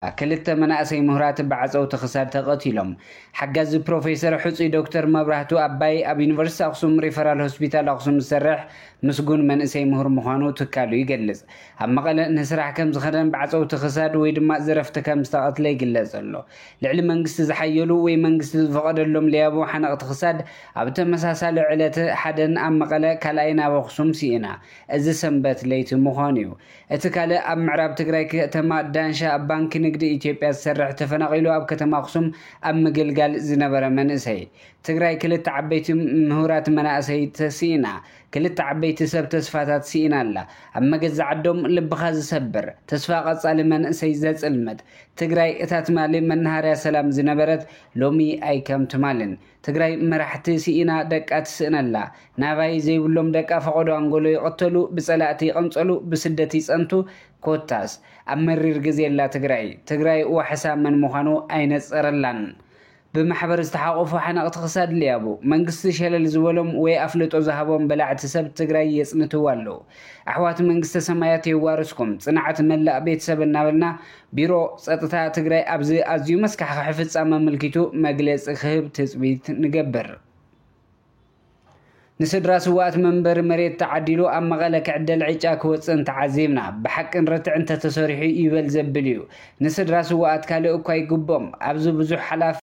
ክልተ መናእሰይ ምሁራት ብዓፀውቲ ክሳድ ተቐቲሎም። ሓጋዚ ፕሮፌሰር ሕፁይ ዶክተር መብራህቱ ኣባይ ኣብ ዩኒቨርሲቲ ኣኽሱም ሪፈራል ሆስፒታል ኣኽሱም ዝሰርሕ ምስጉን መንእሰይ ምሁር ምዃኑ ትካሉ ይገልጽ። ኣብ መቐለ ንስራሕ ከም ዝኸደን ብዓፀውቲ ክሳድ ወይ ድማ ዝረፍቲ ከም ዝተቐትለ ይግለጽ ኣሎ። ልዕሊ መንግስቲ ዝሓየሉ ወይ መንግስቲ ዝፈቐደሎም ለያቡ ሓነቕቲ ክሳድ ኣብ ተመሳሳሊ ዕለት ሓደን ኣብ መቐለ ካልኣይን ኣብ ኣኽሱም ስኢና። እዚ ሰንበት ለይቲ ምዃኑ እዩ። እቲ ካልእ ኣብ ምዕራብ ትግራይ ከተማ ዳንሻ ኣብ ባንኪ ንግዲ ኢትዮጵያ ዝሰርሕ ተፈናቒሉ ኣብ ከተማ ኣኽሱም ኣብ ምግልጋል ዝነበረ መንእሰይ። ትግራይ ክልተ ዓበይቲ ምሁራት መናእሰይ ተስኢና፣ ክልተ ዓበይቲ ሰብ ተስፋታት ስኢና ኣላ። ኣብ መገዛ ዓዶም ልብኻ ዝሰብር፣ ተስፋ ቀጻሊ መንእሰይ ዘጽልምት። ትግራይ እታ ትማሊ መናሃርያ ሰላም ዝነበረት ሎሚ ኣይከም ትማልን። ትግራይ መራሕቲ ስኢና ደቃ ትስእነላ። ናባይ ዘይብሎም ደቃ ፈቐዶ ኣንጎሎ ይቐተሉ፣ ብጸላእቲ ይቐንጸሉ፣ ብስደት ይጸንቱ። ኮታስ ኣብ መሪር ግዜ ኣላ ትግራይ። ትግራይ ዋሕሳ መን ምዃኑ ኣይነጸረላን። ብማሕበር ዝተሓቆፉ ሓነቕቲ ክሳድ ልያቡ መንግስቲ ሸለል ዝበሎም ወይ ኣፍልጦ ዝሃቦም በላዕቲ ሰብ ትግራይ የጽንትዋ ኣለዉ። ኣሕዋት መንግስተ ሰማያት የዋርስኩም፣ ጽንዓት መላእ ቤተሰብ እናበልና ቢሮ ጸጥታ ትግራይ ኣብዚ ኣዝዩ መስካሕክሒ ፍጻመ ኣመልኪቱ መግለጺ ክህብ ትጽቢት ንገብር። ንስድራ ስውኣት መንበሪ መሬት ተዓዲሉ ኣብ መቐለ ክዕደል ዕጫ ክወፅእን ተዓዚብና። ብሓቅን ርትዕን እንተተሰሪሑ ይበል ዘብል እዩ። ንስድራ ስውኣት ካልእ እኳ ይግቦም። ኣብዚ ብዙሕ ሓላፍ